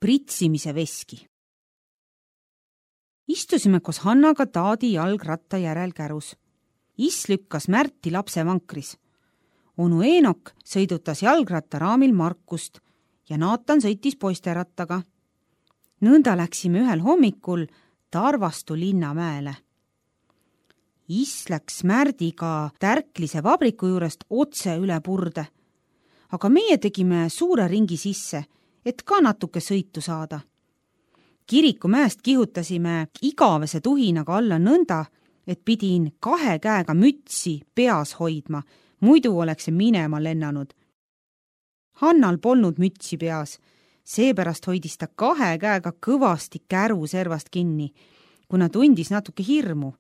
pritsimise veski. Istusime koos Hannaga Taadi jalgratta järel kärus. Is lükkas Märti lapse vankris. Onu Eenok sõidutas jalgrattaraamil Markust ja Naatan sõitis poisterattaga. Nõnda läksime ühel hommikul Tarvastu linnamäele. Is läks Märdiga Tärklise vabriku juurest otse üle purde, aga meie tegime suure ringi sisse, et ka natuke sõitu saada. Kirikumäest kihutasime igavese tuhinaga alla nõnda, et pidin 2 käega mütsi peas hoidma, muidu oleks see minema lennanud. Hannal polnud mütsi peas, seepärast hoidis ta 2 käega kõvasti käru servast kinni, kuna tundis natuke hirmu.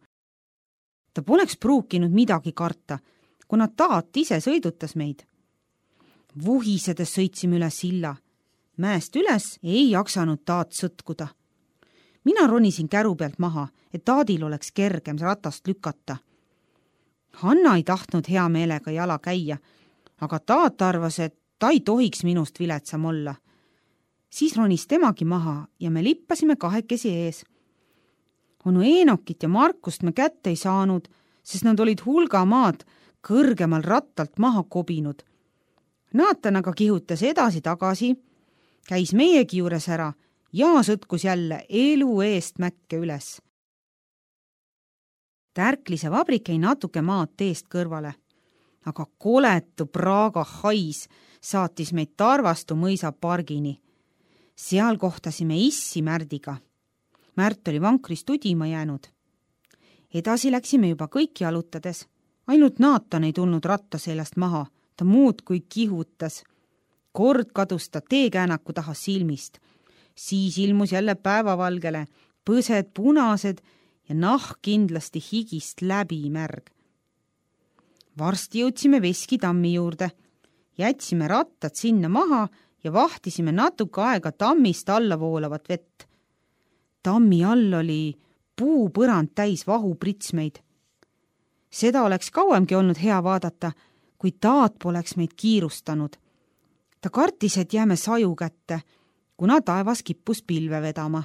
Ta poleks pruukinud midagi karta, kuna Taat ise sõidutas meid. Vuhisedes sõitsime üle silla. Mäest üles ei jaksanud Taat sõtkuda. Mina ronisin käru pealt maha, et Taadil oleks kergem ratast lükata. Hanna ei tahtnud hea meelega jala käia, aga Taat arvas, et ta ei tohiks minust viletsam olla. Siis ronis temagi maha ja me lippasime 2 ees. Onu Eenokit ja Markust me kätte ei saanud, sest nad olid hulga maad kõrgemal rattalt maha kobinud. Naatan aga kihutas edasi-tagasi, käis meiegi juures ära ja sõtkus jälle elu eest mäkke üles. Tärklise vabrik jäi natuke maad teest kõrvale, aga koletu Praga hais saatis meid Tarvastu mõisa pargini. Seal kohtasime Issi Märdiga. Märt oli vankris tudima jäänud. Edasi läksime juba kõik jalutades. Ainult Naatan ei tulnud ratta seljast maha, ta muud kui kihutas. Kord kadus ta teekäänaku taha silmist. Siis ilmus jälle päevavalgele, põsed punased ja nahk kindlasti higist läbi märg. Varsti jõudsime Veski tammi juurde. Jätsime rattad sinna maha ja vahtisime natuke aega tammist alla voolavat vett. Tammi all oli puupõrand täis vahupritsmeid. Seda oleks kauemgi olnud hea vaadata, kui Taat poleks meid kiirustanud. Ta kartis, et jääme saju kätte, kuna taevas kippus pilve vedama.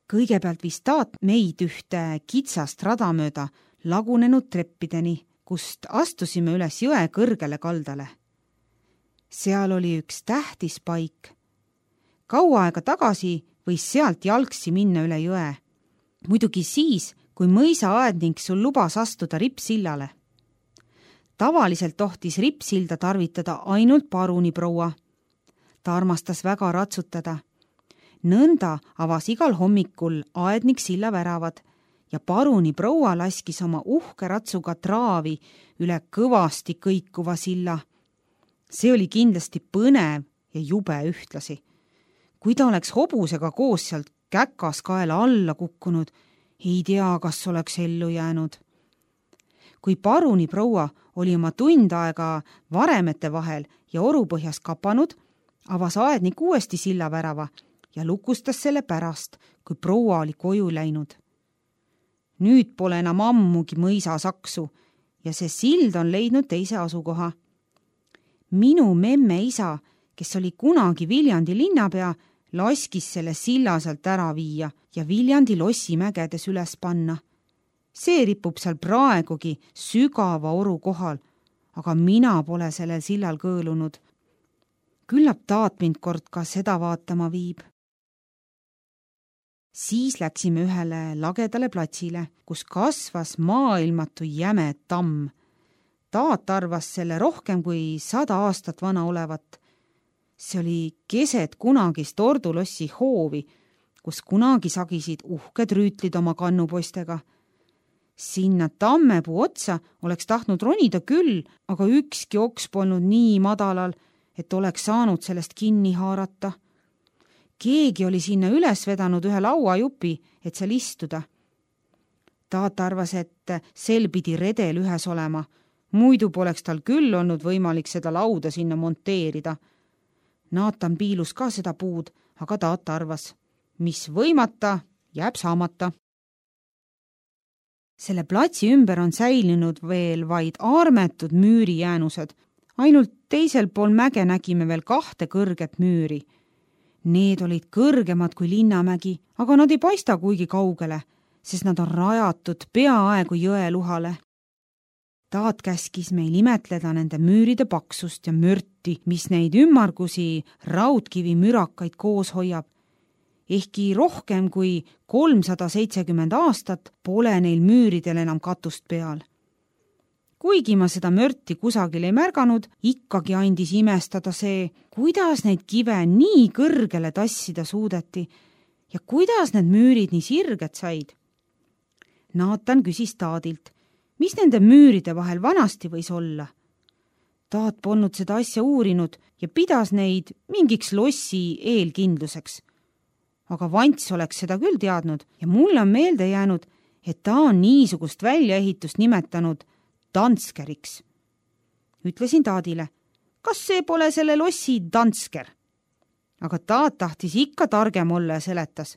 Kõigepealt viis Taat meid ühte kitsast rada mööda lagunenud treppideni, kust astusime üles jõe kõrgele kaldale. Seal oli üks tähtis paik. Kaua aega tagasi võis sealt jalgsi minna üle jõe. Muidugi siis, kui mõisaaedning sul lubas astuda rippsillale. Tavaliselt tohtis rippsilda tarvitada ainult paruniproua. Ta armastas väga ratsutada. Nõnda avas igal hommikul aednik silla väravad ja paruniproua laskis oma uhke ratsuga traavi üle kõvasti kõikuva silla. See oli kindlasti põnev ja jube ühtlasi. Kui ta oleks hobusega koos sealt käkas kaela alla kukkunud, ei tea, kas oleks ellu jäänud. Kui paruniproua oli oma tund aega varemete vahel ja orupõhjas kapanud, avas aednik uuesti silla värava ja lukustas selle pärast, kui proua oli koju läinud. Nüüd pole enam ammugi mõisa saksu ja see sild on leidnud teise asukoha. Minu memme isa, kes oli kunagi Viljandi linnapea, laskis selle silla sealt ära viia ja Viljandi lossi mägedes üles panna. See ripub seal praegugi sügava oru kohal, aga mina pole sellel sillal kõõlunud. Küllap Taat mind kord ka seda vaatama viib. Siis läksime ühele lagedale platsile, kus kasvas maailmatu jäme tamm. Taat arvas selle rohkem kui 100 aastat vana olevat. See oli keset kunagist Ordulossi hoovi, kus kunagi sagisid uhked rüütlid oma kannupoistega. Sinna tammepuu otsa oleks tahtnud ronida küll, aga ükski oks polnud nii madalal, et oleks saanud sellest kinni haarata. Keegi oli sinna üles vedanud ühe lauajupi, et seal istuda. Taat arvas, et sel pidi redel ühes olema, muidu poleks tal küll olnud võimalik seda lauda sinna monteerida. Naatan piilus ka seda puud, aga Taat arvas, mis võimata, jääb saamata. Selle platsi ümber on säilinud veel vaid armetud müürijäänused. Ainult teisel pool mäge nägime veel 2 kõrget müüri. Need olid kõrgemad kui Linnamägi, aga nad ei paista kuigi kaugele, sest nad on rajatud peaaegu jõeluhale. Taat käskis meil imetleda nende müüride paksust ja mürti, mis neid ümmargusi raudkivi mürakaid koos hoiab. Ehkki rohkem kui 370 aastat pole neil müüridel enam katust peal. Kuigi ma seda mörti kusagil ei märganud, ikkagi andis imestada see, kuidas neid kive nii kõrgele tassida suudeti ja kuidas need müürid nii sirged said. Naatan küsis Taadilt, mis nende müüride vahel vanasti võis olla. Taat polnud seda asja uurinud ja pidas neid mingiks lossi eelkindluseks. Aga Vants oleks seda küll teadnud ja mulle on meelde jäänud, et ta on niisugust väljaehitust nimetanud Danskeriks. Ütlesin Taadile, kas see pole selle lossi Dansker? Aga Taat tahtis ikka targem olla ja seletas.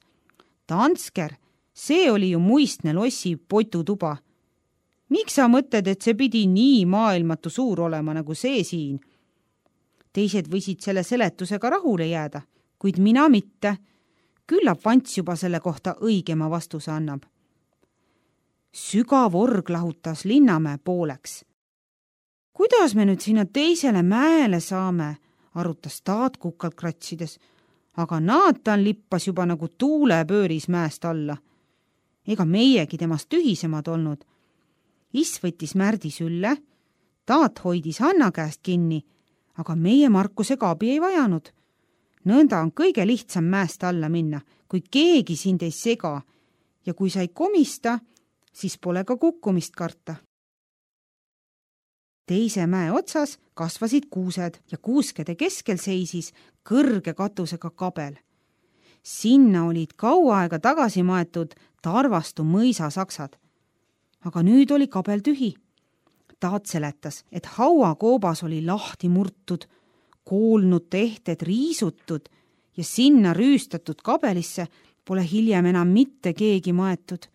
Dansker, see oli ju muistne lossi potutuba. Miks sa mõtled, et see pidi nii maailmatu suur olema nagu see siin? Teised võisid selle seletusega rahule jääda, kuid mina mitte. Küllap Vants juba selle kohta õigema vastuse annab. Sügav org lahutas Linnamäe pooleks. Kuidas me nüüd sinna teisele mäele saame, arutas Taat kukalt kratsides, aga Naatan lippas juba nagu tuulepööris mäest alla. Ega meiegi temast tühisemad olnud. Is võttis Märdi sülle, Taat hoidis Hanna käest kinni, aga meie Markusega abi ei vajanud. Nõnda on kõige lihtsam mäest alla minna, kui keegi sind ei sega ja kui sa ei komista, siis pole ka kukkumist karta. Teise mäe otsas kasvasid kuused ja kuuskede keskel seisis kõrge katusega kabel. Sinna olid kaua aega tagasi maetud Tarvastu mõisasaksad. Aga nüüd oli kabel tühi. Taat seletas, et hauakoobas oli lahti murtud, koolnud tehted riisutud ja sinna rüüstatud kabelisse pole hiljem enam mitte keegi maetud.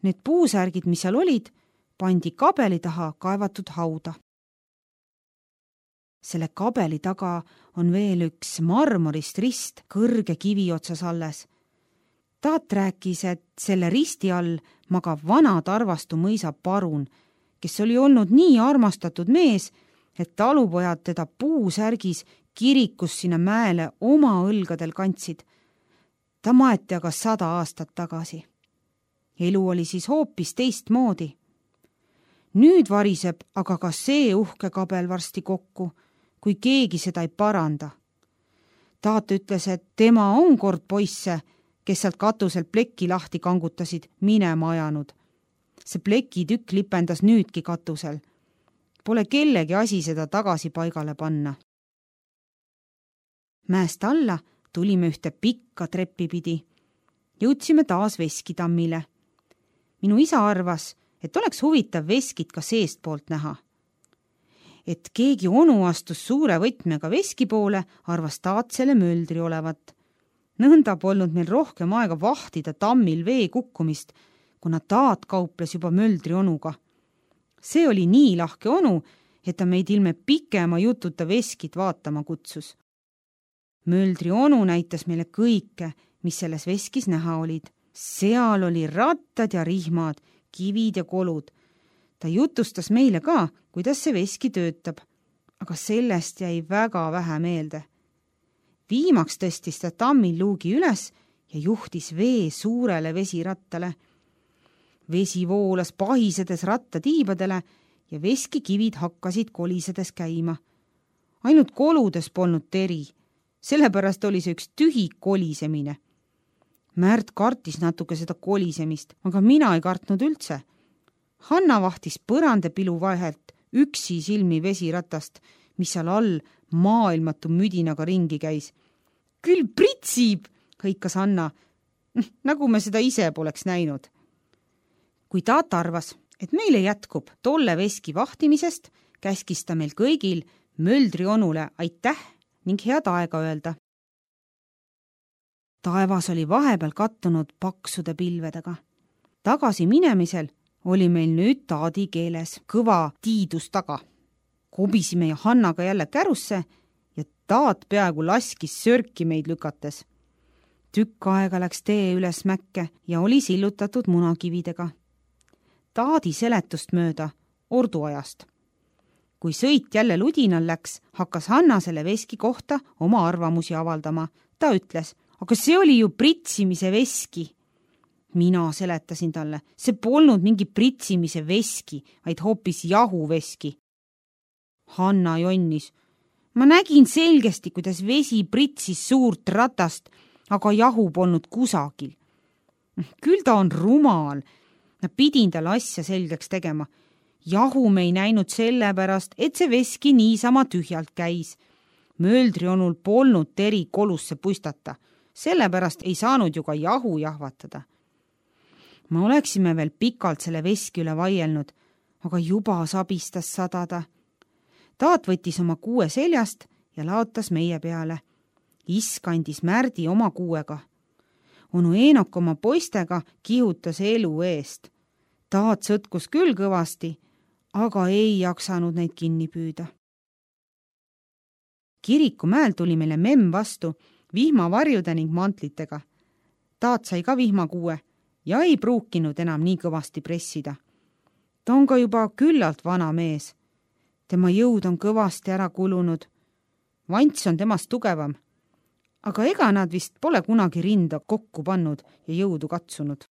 Need puusärgid, mis seal olid, pandi kabeli taha kaevatud hauda. Selle kabeli taga on veel üks marmorist rist kõrge kivi otsas alles. Taat rääkis, et selle risti all magab vana Tarvastu mõisa parun, kes oli olnud nii armastatud mees, et talupojad teda puusärgis kirikus sinna mäele oma õlgadel kantsid. Ta maeti aga 100 aastat tagasi. Elu oli siis hoopis teistmoodi. Nüüd variseb aga ka see uhke kabel varsti kokku, kui keegi seda ei paranda. Taat ütles, et tema on kord poisse, kes sealt katuselt pleki lahti kangutasid, minema ajanud. See plekitükk lipendas nüüdki katusel. Pole kellegi asi seda tagasi paigale panna. Mäest alla tulime ühte pikka treppi pidi. Jõudsime taas Veskitammile. Minu isa arvas, et oleks huvitav veskit ka seestpoolt näha. Et keegi onu astus suure võtmega veski poole, arvas Taat selle möldri olevat. Nõnda polnud meil rohkem aega vahtida tammil vee kukkumist, kuna Taat kauples juba möldri onuga. See oli nii lahke onu, et ta meid ilme pikema jututa veskit vaatama kutsus. Möldri onu näitas meile kõike, mis selles veskis näha olid. Seal oli rattad ja rihmad, kivid ja kolud. Ta jutustas meile ka, kuidas see veski töötab, aga sellest jäi väga vähe meelde. Viimaks tõstis ta tammil luugi üles ja juhtis vee suurele vesirattale. Vesi voolas pahisedes rattatiibadele ja veskikivid hakkasid kolisedes käima. Ainult koludes polnud teri, sellepärast oli see üks tühi kolisemine. Märt kartis natuke seda kolisemist, aga mina ei kartnud üldse. Hanna vahtis põrandapilu vahelt üksi silmi vesiratast, mis seal all maailmatu müdinaga ringi käis. Küll pritsib, hõikas Hanna, nagu me seda ise poleks näinud. Kui Taat arvas, et meile jätkub tolle veski vahtimisest, käskis ta meil kõigil möldri onule aitäh ning head aega öelda. Taevas oli vahepeal kattunud paksude pilvedega. Tagasi minemisel oli meil nüüd Taadi keeles kõva tiidus taga. Kobisime ja Hannaga jälle kärusse ja Taat peaaegu laskis sörki meid lükates. Tükk aega läks tee üles mäkke ja oli sillutatud munakividega. Taadi seletust mööda orduajast. Kui sõit jälle ludinal läks, hakkas Hanna selle veski kohta oma arvamusi avaldama. Ta ütles, aga see oli ju pritsimise veski. Mina seletasin talle, see polnud mingi pritsimise veski, vaid hoopis jahuveski. Hanna jonnis. Ma nägin selgesti, kuidas vesi pritsis suurt ratast, aga jahu polnud kusagil. Küll ta on rumal. Pidin talle asja selgeks tegema. Jahu me ei näinud sellepärast, et see veski niisama tühjalt käis. Mööldrionul polnud teri kolusse puistata. Sellepärast ei saanud ju ka jahu jahvatada. Me oleksime veel pikalt selle veski üle vaielnud, aga juba sabistas sadada. Taat võttis oma kuue seljast ja laotas meie peale. Isk andis Märdi oma kuuega. Onu Eenok oma poistega kihutas elu eest. Taat sõtkus küll kõvasti, aga ei jaksanud neid kinni püüda. Kirikumäel tuli meile memm vastu vihmavarjude ning mantlitega. Taat sai ka vihmakuue ja ei pruukinud enam nii kõvasti pressida. Ta on ka juba küllalt vana mees. Tema jõud on kõvasti ära kulunud. Vants on temast tugevam, aga ega nad vist pole kunagi rinda kokku pannud ja jõudu katsunud.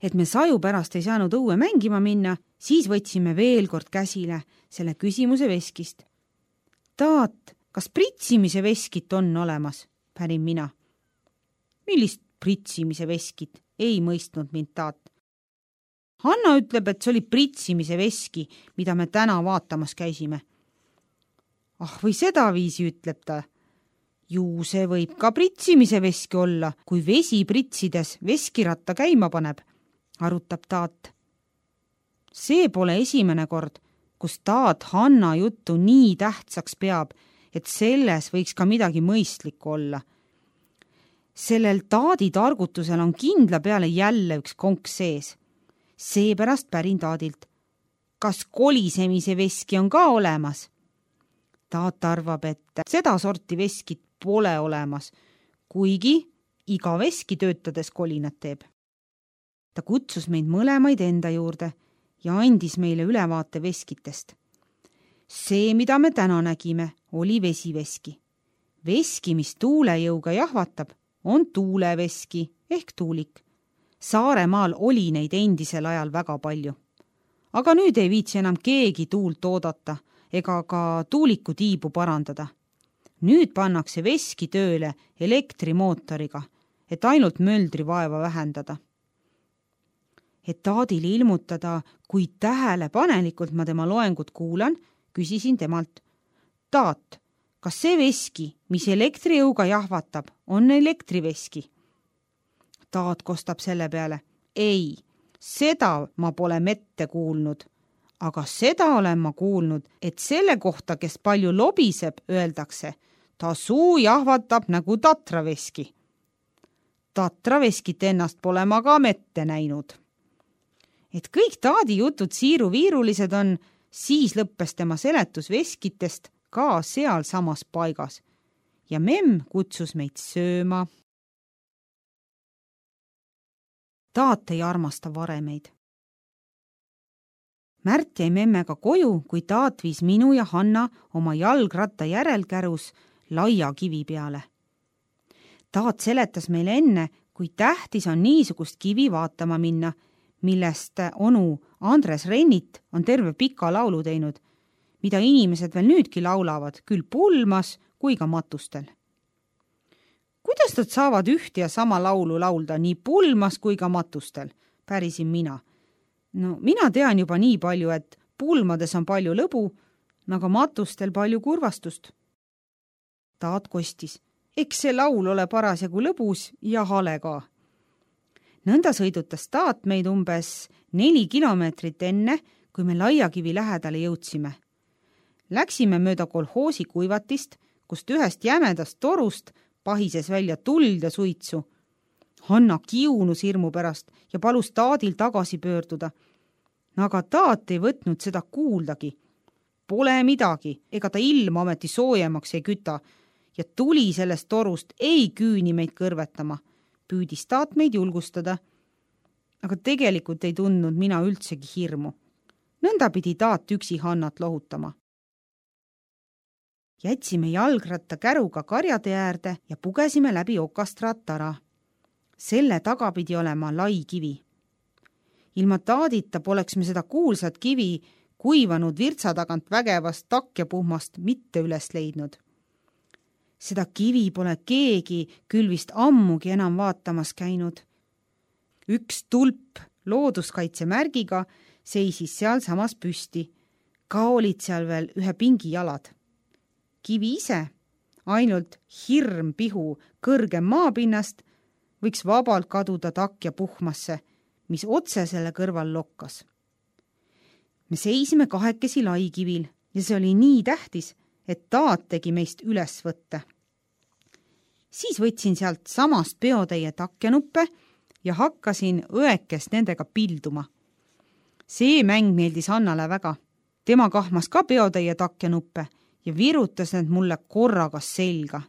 Et me saju pärast ei saanud õue mängima minna, siis võtsime veel kord käsile selle küsimuse veskist. Taat, kas pritsimise veskit on olemas? Pärin mina. Millist pritsimise veskit? Ei mõistnud mind Taat. Hanna ütleb, et see oli pritsimise veski, mida me täna vaatamas käisime. Või seda viisi, ütleb ta. Ju see võib ka pritsimise veski olla, kui vesi pritsides veskiratta käima paneb, arutab Taat. See pole esimene kord, kus Taat Hanna juttu nii tähtsaks peab, et selles võiks ka midagi mõistlikku olla. Sellel Taadi targutusel on kindla peale jälle üks konks sees. Seepärast pärin Taadilt. Kas kolisemise veski on ka olemas? Taat arvab, et seda sorti veskit pole olemas, kuigi iga veski töötades kolinat teeb. Ta kutsus meid mõlemaid enda juurde ja andis meile ülevaate veskitest. See, mida me täna nägime, oli vesiveski. Veski, mis tuulejõuga jahvatab, on tuuleveski ehk tuulik. Saaremaal oli neid endisel ajal väga palju. Aga nüüd ei viitsi enam keegi tuult oodata ega ka tuuliku tiibu parandada. Nüüd pannakse veski tööle elektrimootoriga, et ainult möldri vaeva vähendada. Et Taadile ilmutada, kui tähelepanelikult ma tema loengut kuulan, küsisin temalt. Taat, kas see veski, mis elektrijõuga jahvatab, on elektriveski? Taat kostab selle peale. Ei, seda ma pole mette kuulnud, aga seda olen ma kuulnud, et selle kohta, kes palju lobiseb, öeldakse, ta suu jahvatab nagu tatraveski. Tatraveskit ennast pole ma ka mette näinud. Et kõik Taadi jutud siiruviirulised on, siis lõppes tema seletus veskitest ka seal samas paigas ja memm kutsus meid sööma. Taat ei armasta varemeid. Märt jäi memmega koju, kui Taat viis minu ja Hanna oma jalgratta järelkärus laia kivi peale. Taat seletas meile enne, kui tähtis on niisugust kivi vaatama minna, millest onu Andres Rennit on terve pika laulu teinud, mida inimesed veel nüüdki laulavad, küll pulmas kui ka matustel. Kuidas nad saavad üht ja sama laulu laulda nii pulmas kui ka matustel, pärisin mina. No, mina tean juba nii palju, et pulmades on palju lõbu, aga matustel palju kurvastust. Taat kostis, eks see laul ole parasjagu lõbus ja hale ka. Nõnda sõidutas Taat meid umbes 4 kilomeetrit enne, kui me Laiakivi lähedale jõudsime. Läksime mööda kolhoosi kuivatist, kust ühest jämedast torust pahises välja tuld ja suitsu. Hanna kiunus hirmu pärast ja palus Taadil tagasi pöörduda. Aga Taat ei võtnud seda kuuldagi. pole midagi, ega ta ilma ometi soojemaks ei küta ja tuli sellest torust ei küüni meid kõrvetama. Püüdis Taat meid julgustada, aga tegelikult ei tundnud mina üldsegi hirmu. Nõnda pidi Taat üksi Hannat lohutama. Jätsime jalgratta käruga karjade äärde ja pugesime läbi okast rattara. Selle taga pidi olema lai kivi. Ilma Taadita poleks me seda kuulsat kivi kuivanud virtsa tagant vägevast takjapuhmast mitte üles leidnud. Seda kivi pole keegi küll vist ammugi enam vaatamas käinud. Üks tulp looduskaitsemärgiga seisis seal samas püsti. Ka olid seal veel ühe pingi jalad. Kivi ise, ainult hirm pihu kõrgem maapinnast, võiks vabalt kaduda takjapuhmasse, mis otse selle kõrval lokkas. Me seisime kahekesi laikivil ja see oli nii tähtis, et Taat tegi meist üles võtte. Siis võtsin sealt samast peotäie takjanuppe ja hakkasin õekest nendega pilduma. See mäng meeldis Hannale väga. Tema kahmas ka peotäie takjanuppe ja virutas need mulle korraga selga.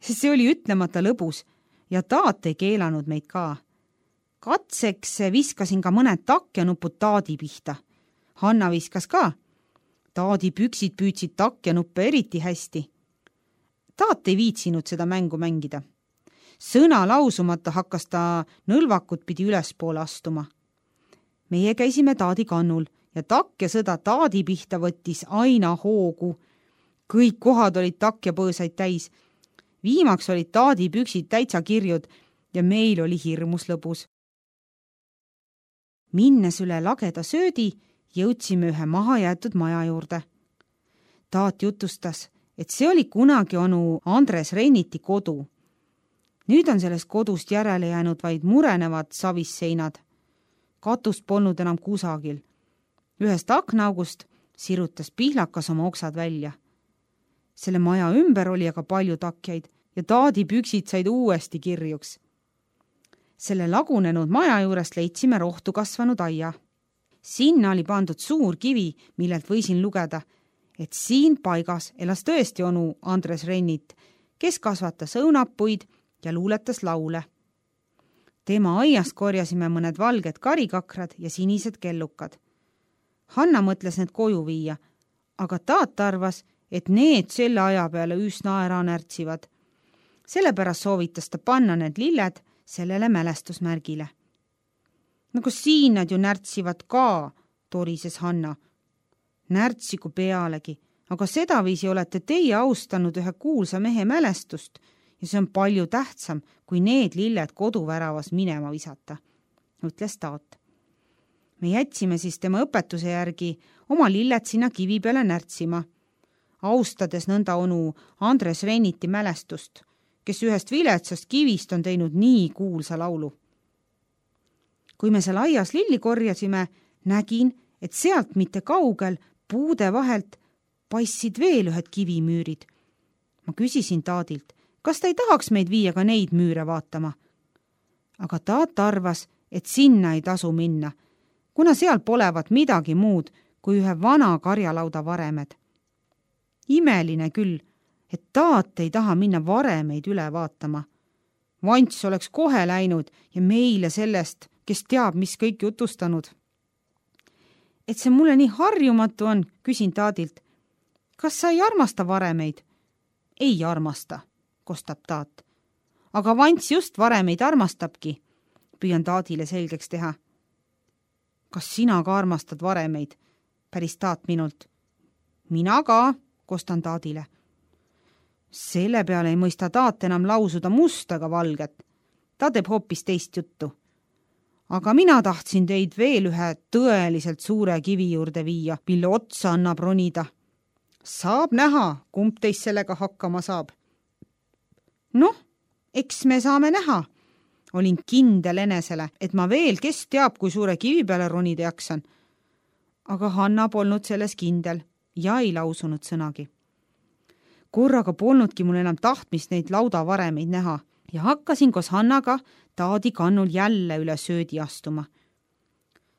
See oli ütlemata lõbus ja Taat ei keelanud meid ka. Katseks viskasin ka mõned takjanupud Taadi pihta. Hanna viskas ka. Taadi püksid püüdsid takjanuppe eriti hästi. Taat ei viitsinud seda mängu mängida. Sõna lausumata hakkas ta nõlvakut pidi ülespoole astuma. Meie käisime Taadi kannul ja takjasõda Taadi pihta võttis aina hoogu. Kõik kohad olid takjapõõsaid täis. Viimaks olid Taadi püksid täitsa kirjud ja meil oli hirmus lõbus. Minnes üle lageda söödi, jõudsime ühe mahajäetud maja juurde. Taat jutustas, et see oli kunagi onu Andres Renniti kodu. Nüüd on sellest kodust järele jäänud vaid murenevad savisseinad. Katust polnud enam kusagil. Ühest aknaaugust sirutas pihlakas oma oksad välja. Selle maja ümber oli aga palju takjaid ja Taadi püksid said uuesti kirjuks. Selle lagunenud maja juurest leidsime rohtu kasvanud aia. Sinna oli pandud suur kivi, millelt võisin lugeda, et siin paigas elas tõesti onu Andres Rennit, kes kasvatas õunapuid ja luuletas laule. Tema aiast korjasime mõned valged karikakrad ja sinised kellukad. Hanna mõtles need koju viia, aga Taat arvas, et need selle aja peale üsna ära närtsivad. Sellepärast soovitas ta panna need lilled sellele mälestusmärgile. Nagu siin nad ju närtsivad ka, torises Hanna. Närtsigu pealegi, aga sedaviisi olete teie austanud ühe kuulsa mehe mälestust ja see on palju tähtsam, kui need lilled koduväravas minema visata, ütles Taat. Me jätsime siis tema õpetuse järgi oma lilled sinna kivi peale närtsima, austades nõnda onu Andres Renniti mälestust, kes ühest viletsast kivist on teinud nii kuulsa laulu. Kui me seal aias lilli korjasime, nägin, et sealt mitte kaugel puude vahelt paissid veel ühed kivimüürid. Ma küsisin Taadilt, kas ta ei tahaks meid viia ka neid müüre vaatama. Aga Taat arvas, et sinna ei tasu minna, kuna seal polevat midagi muud kui ühe vana karjalauda varemed. Imeline küll, et Taat ei taha minna varemeid üle vaatama. Vants oleks kohe läinud ja meile sellest, kes teab, mis kõik jutustanud. Et see mulle nii harjumatu on, küsin Taadilt. Kas sa ei armasta varemeid? Ei armasta, kostab Taat. Aga Vants just varemeid armastabki, püüan Taadile selgeks teha. Kas sina ka armastad varemeid? Päris Taat minult. Mina ka, kostan Taadile. Selle peale ei mõista Taat enam lausuda musta ega valget. Ta teeb hoopis teist juttu. Aga mina tahtsin teid veel ühe tõeliselt suure kivi juurde viia, mille otsa annab ronida. Saab näha, kumb teist sellega hakkama saab. Noh, eks me saame näha. Olin kindel enesele, et ma veel kes teab, kui suure kivi peale ronida jaksan. Aga Hanna polnud selles kindel ja ei lausunud sõnagi. Korraga polnudki mul enam tahtmist neid laudavaremeid näha ja hakkasin koos Hannaga Taadi kannul jälle üle söödi astuma.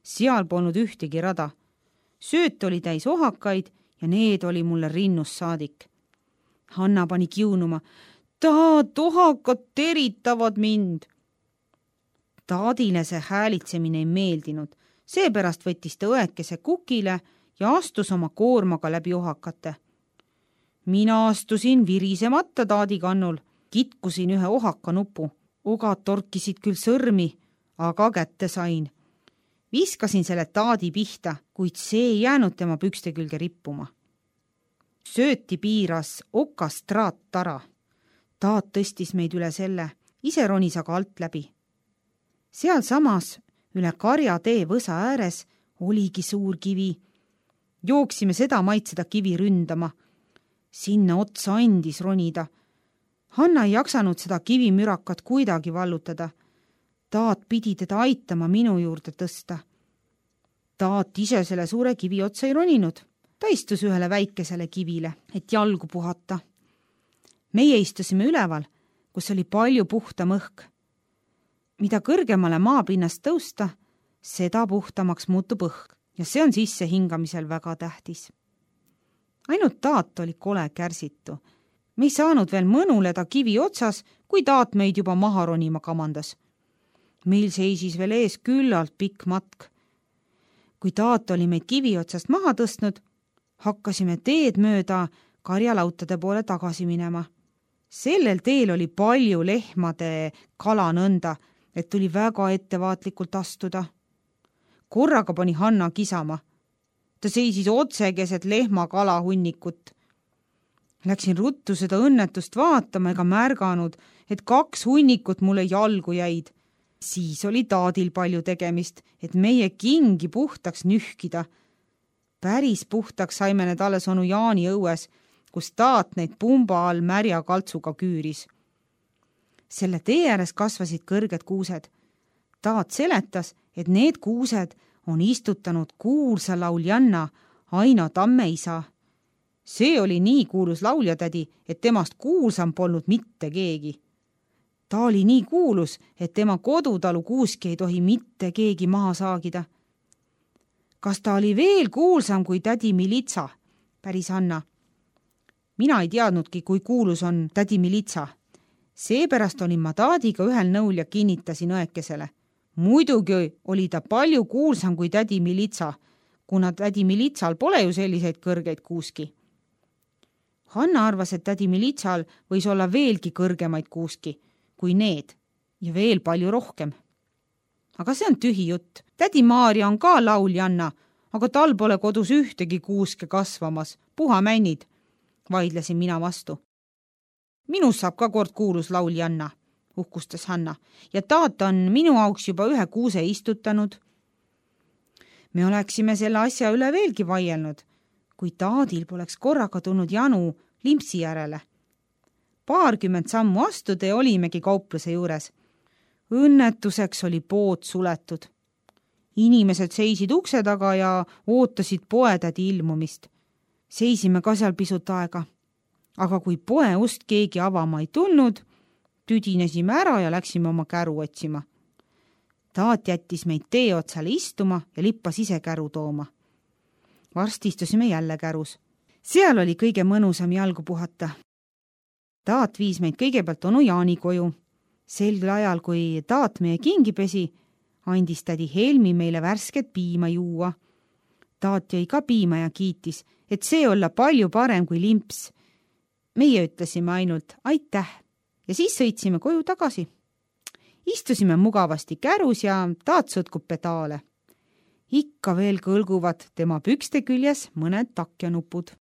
Seal polnud ühtegi rada. Sööt oli täis ohakaid ja need oli mulle rinnust saadik. Hanna pani kiunuma. Taat, ohakad teritavad mind. Taadile see häälitsemine ei meeldinud. Seepärast võttis ta õekese kukile ja astus oma koormaga läbi ohakate. Mina astusin virisemata taadi kannul, kitkusin ühe ohaka nupu. Ogad torkisid küll sõrmi, aga kätte sain. Viskasin selle taadi pihta, kuid see ei jäänud tema pükste külge rippuma. Sööti piiras okast traattara. Taat tõstis meid üle selle, ise ronis aga alt läbi. Seal samas üle karjatee võsa ääres oligi suur kivi. Jooksime seda maid seda kivi ründama. Sinna otsa andis ronida. Hanna ei jaksanud seda kivimürakat kuidagi vallutada. Taat pidi teda aitama minu juurde tõsta. Taat ise selle suure kivi otsa ei roninud. Ta istus ühele väikesele kivile, et jalgu puhata. Meie istusime üleval, kus oli palju puhtam õhk. Mida kõrgemale maapinnast tõusta, seda puhtamaks muutub õhk ja see on sisse hingamisel väga tähtis. Ainult Taat oli kole kärsitu. Me ei saanud veel mõnuleda kivi otsas, kui Taat meid juba maha ronima kamandas. Meil seisis veel ees küllalt pikk matk. Kui Taat oli meid kivi otsast maha tõstnud, hakkasime teed mööda karjalautade poole tagasi minema. Sellel teel oli palju lehmade kalanõnda, et tuli väga ettevaatlikult astuda. Korraga pani Hanna kisama. Ta seisis otse keset lehmakala hunnikut. Läksin ruttu seda õnnetust vaatama ega märganud, et 2 hunnikut mulle jalgu jäid. Siis oli Taadil palju tegemist, et meie kingi puhtaks nühkida. Päris puhtaks saime need alles onu Jaani õues, kus Taat neid pumba all märja kaltsuga küüris. Selle tee ääres kasvasid kõrged kuused. Taat seletas, et need kuused on istutanud kuulsa lauljanna Aino Tamme isa. See oli nii kuulus lauljatädi, et temast kuulsam polnud mitte keegi. Ta oli nii kuulus, et tema kodutalu kuuski ei tohi mitte keegi maha saagida. Kas ta oli veel kuulsam kui tädi Militsa? Päris Hanna. Mina ei teadnudki, kui kuulus on tädi Militsa. Seepärast olin ma Taadiga ühel nõul ja kinnitasin õekesele. Muidugi oli ta palju kuulsam kui tädi Militsa, kuna tädi Militsal pole ju selliseid kõrgeid kuuski. Hanna arvas, et tädi Militsal võis olla veelgi kõrgemaid kuuski kui need ja veel palju rohkem. Aga see on tühi jutt. Tädi Maarja on ka lauljanna, aga tal pole kodus ühtegi kuuske kasvamas. Puha männid, vaidlesin mina vastu. Minus saab ka kord kuulus lauljanna, uhkustas Hanna, ja Taat on minu auks juba 1 kuuse istutanud. Me oleksime selle asja üle veelgi vaielnud, kui Taadil poleks korraga tulnud janu limpsi järele. 20 sammu astude olimegi kaupluse juures. Õnnetuseks oli pood suletud. Inimesed seisid ukse taga ja ootasid poetädi ilmumist. Seisime ka seal pisut aega. Aga kui poe ust keegi avama ei tulnud, tüdinesime ära ja läksime oma käru otsima. Taat jättis meid tee otsale istuma ja lippas ise käru tooma. Varsti istusime jälle kärus. Seal oli kõige mõnusam jalgu puhata. Taat viis meid kõigepealt onu Jaani koju. Sel ajal, kui Taat meie kingi pesi, andis tädi Helmi meile värsket piima juua. Taat jõi ka piima ja kiitis, et see olla palju parem kui limps. Meie ütlesime ainult aitäh ja siis sõitsime koju tagasi. Istusime mugavasti kärus ja Taat sõtkub pedaale. Ikka veel kõlguvad tema pükste küljes mõned takjanupud.